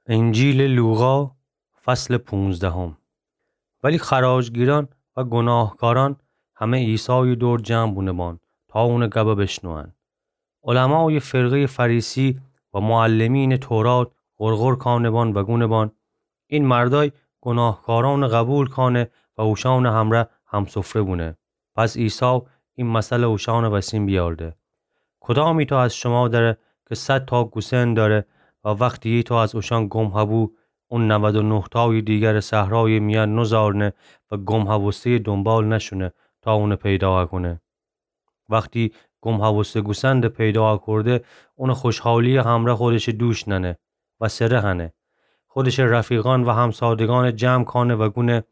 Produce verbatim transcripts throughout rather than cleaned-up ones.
انجیلٚ لوقا، فصلٚ پونزدهم. ولی خراجگیرأن و گوناهکارأن همه عیسایٚ دور جمع بونه‌بان تا اونٚ گبَ بشنوئن. علمایٚ فرقه‌یٚ فریسی و معلمینٚ تورات غرغر کانه‌بان و گونه‌بان: این مردأی گوناهکارأنَ قبول کانه و اوشأنٚ همرأ همسفره بونه. پس عیسی این مثلَ اوشأنٚ وسین بیأورده: کدام ایتأ از شما دره کی صد تاک گوسن دأره و وختی ایتأ از اوشأن گم هبو، اون نود و نه تایٚ دیگرَ صحرایٚ میأن نوزارنه و گم هبوسته‌یٚ دونبال نشونه تا اونَ پیدا هکونه؟ وختی گم هبوسته گوسندَ پیدا هکورده، اونَ خوشحالی‌یٚ همرأ خودشٚ دوش نأنه و سره هنه. خودشٚ رفیقأن و همسادگأنَ جمع کانه و گونه: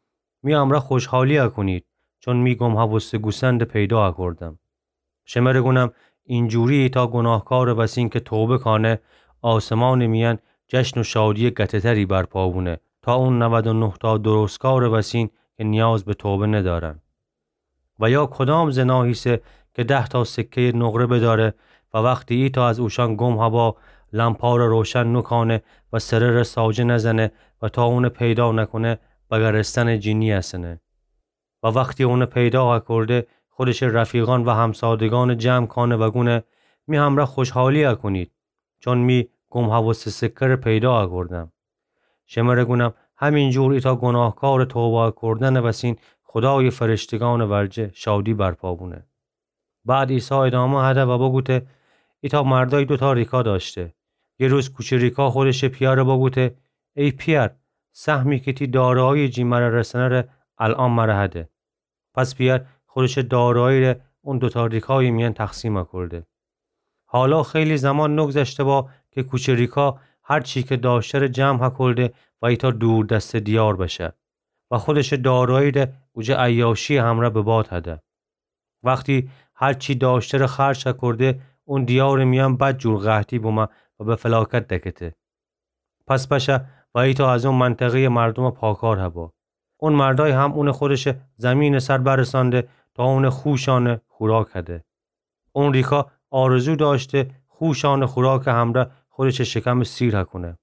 می همرأ خوشحالی هکونید، چون می گم هبوسته گوسندَ پیدا هکوردم. شمره گونم، اینجوری ایتأ گوناهکارٚ وسین کی توبه کانه، آسمانٚ میأن جشن و شادی‌یٚ گته‌تری برپا بونه تا اون نود و نه تا درستکارٚ وسین کی نیاز به توبه ندأرن. و یا کدام زنا هیسه کی ده تا سکه‌یٚ نقره بدأره و وختی ایتأ از اوشأن گم هبا، لمپارَ روشن نوکانه و سره‌ره ساجه نزنه و تا اونَ پیدا نکونه، بگرستنٚ جی نیأسنه؟ و وختی اونَ پیدا هکورده، خودشٚ رفیقأن و همسادگأنَ جمع کانه و گونه: می همرأ خوشحالی هکونید، چون می گم هبوسته سکه‌ره پیدا هکوردم. شمره گونم، همینجور ایتأ گوناهکارٚ توبه هکوردنٚ وسین خودایٚ فرشتگأنٚ ورجه شادی برپا بونه. بعد عیسی ادامه هده و بوگوته: ایتأ مردأی دوتا ریکا دأشته. یه روز کوچه ریکا خودشٚ پیأرَ بوگوته: ای پیأر، سهمی کی تی دارایی جی مره رسنه ره الأن مره هده. پس پیأر خودشٚ دارایی ره اون دوتا ریکایٚ میأن تقسیم هکورده. حالا خیلی زمان نوگذشته با کی کوچه ریکا هر چی کی دأشته‌ره جمع هکورده و ایتأ دوردسته دیار بشه و خودشٚ دارایی ره اوجه عیاشی‌یٚ همرأ به باد هده. وختی هر چی دأشته‌ره خرج هکورده، اون دیارٚ میأن بدجور قحطی بومه و به فلاکت دکته. پس بشه و ایتأ از اون منطقه‌یٚ مردومٚ پاکار هبا. اون مردأی هم اونَ خودشٚ زیمینٚ سر برسأنده تا اونٚ خوشأنٚ خوراک هده. اون ریکا آرزو دأشته خوشأنٚ خوراکٚ همرأ خودشٚ شکمَ سیر هکونه.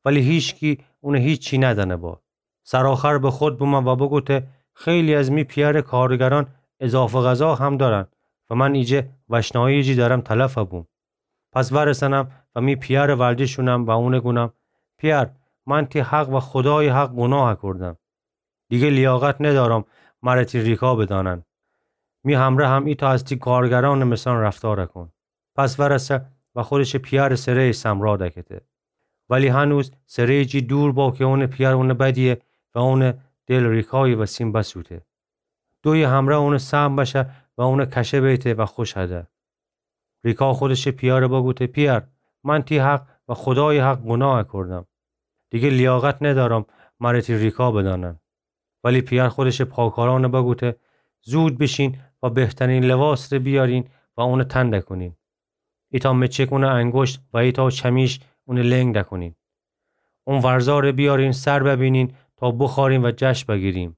ولی هیچکی اونَ هیچی ندأنه با. سرآخر به خود بومه و بوگوته: خیلی از می پیأرٚ کارگرأن اضافه غذا هم دأرن و من ایجه وشنایی جی درم تلف هبوم. پس ورسنم و می پیأرٚ ورجه شونم و اونَ گونم: پیأر، من تی حق و خودایٚ حق گوناه هکوردم. دیگه لیاقت ندأرم مره تی ریکا بدأنن. می همرأ هم ایتأ از تی کارگرأنٚ مثأن رفتار هکون. پس ورسه و خودشٚ پیأرٚ سره‌یٚ سمرا دکته. ولی هنوز سره‌یٚ جی دور با کی اونٚ پیأر اونَ بدیه و اونٚ دل ریکایٚ وسین بسوته. دویی همرأ اونٚ سهم بشه و اونَ کشه بیته و خوش هده. ریکا خودشٚ پیأرَ بوگوته: پیأر، من تی حق و خودایٚ حق گوناه هکوردم. دیگه لیاقت ندأرم مره تی ریکا بدأنن. ولی پیأر خودشٚ پاکارأنَ بوگوته: زود بیشین و بهترین لباسٚ ره بیأرین و اونَ تن دکونین. ایتأ مچک اونٚ انگشت و ایتأ چمیش اونٚ لنگ دکونین. اون ورزارٚ بیأرین سر ببینین تا بوخوأرین و جشن بگیریم.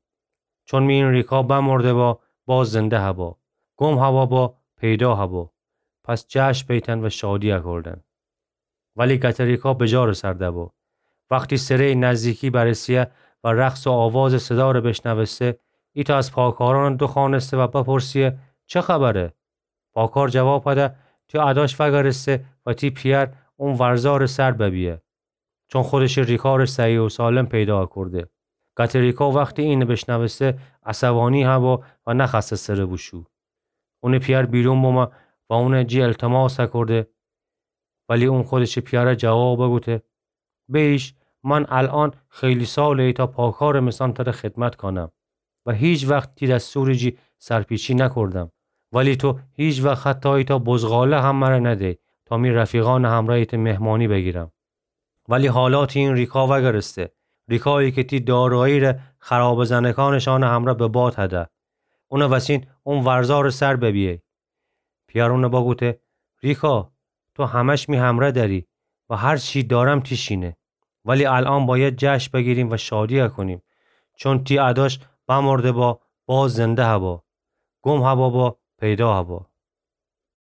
چون می این ریکا بمرده با، باز زنده هبا. گم هبا با، پیدا هبا. پس جشن بیتن و شادی هکوردن. ولی گته ریکا بجارٚ سر دبا. وختی سره‌یٚ نزدیکی برسه و رقص و آوازٚ صدارَ بشنوسته، ایتأ از پاکارأنَ دوخوأنسته و بپرسه: چه خبره؟ پاکار جواب هده: تی اداش وأگرسته و تی پیأر اون ورزارٚ سر ببیه. چون خودشٚ ریکا ره صحیح و سالم پیدا هکورده. گته ریکا وختی اینَ بشنوسته، عصبانی هبا و نخوأسته سره بوشو. اونٚ پیأر بیرون بمه و اونٚ جی التماس هکورده. ولی اون خودشٚ پیأرَ جواب بوگوته: بیش، من الأن خیلی ساله ایتأ پاکارٚ مثأن تره خدمت کانم و هیچ وخت تی دستورٚ جی سرپیچی نکوردم. ولی تو هیچ وخت حتی ایتأ بزغاله هم مره ندی تا می رفیقأنٚ همرأ ایتأ مهمانی بگیرم. ولی حالا تی این ریکا وأگرسته، ریکایی کی تی دارایی ره خرابه زنکانٚ شأنٚ همرأ به باد هده. اونٚ وسین اون ورزارٚ سر ببیه. پیأر اونَ بوگوته: ریکا، تو همش می همرأ دأری و هر چی دأرم تی شینه. ولی الأن بأید جشن بگیریم و شادی هکونیم، چون تی اداش بمرده با، باز زنده هبا. گم هبا با، پیدا هبا.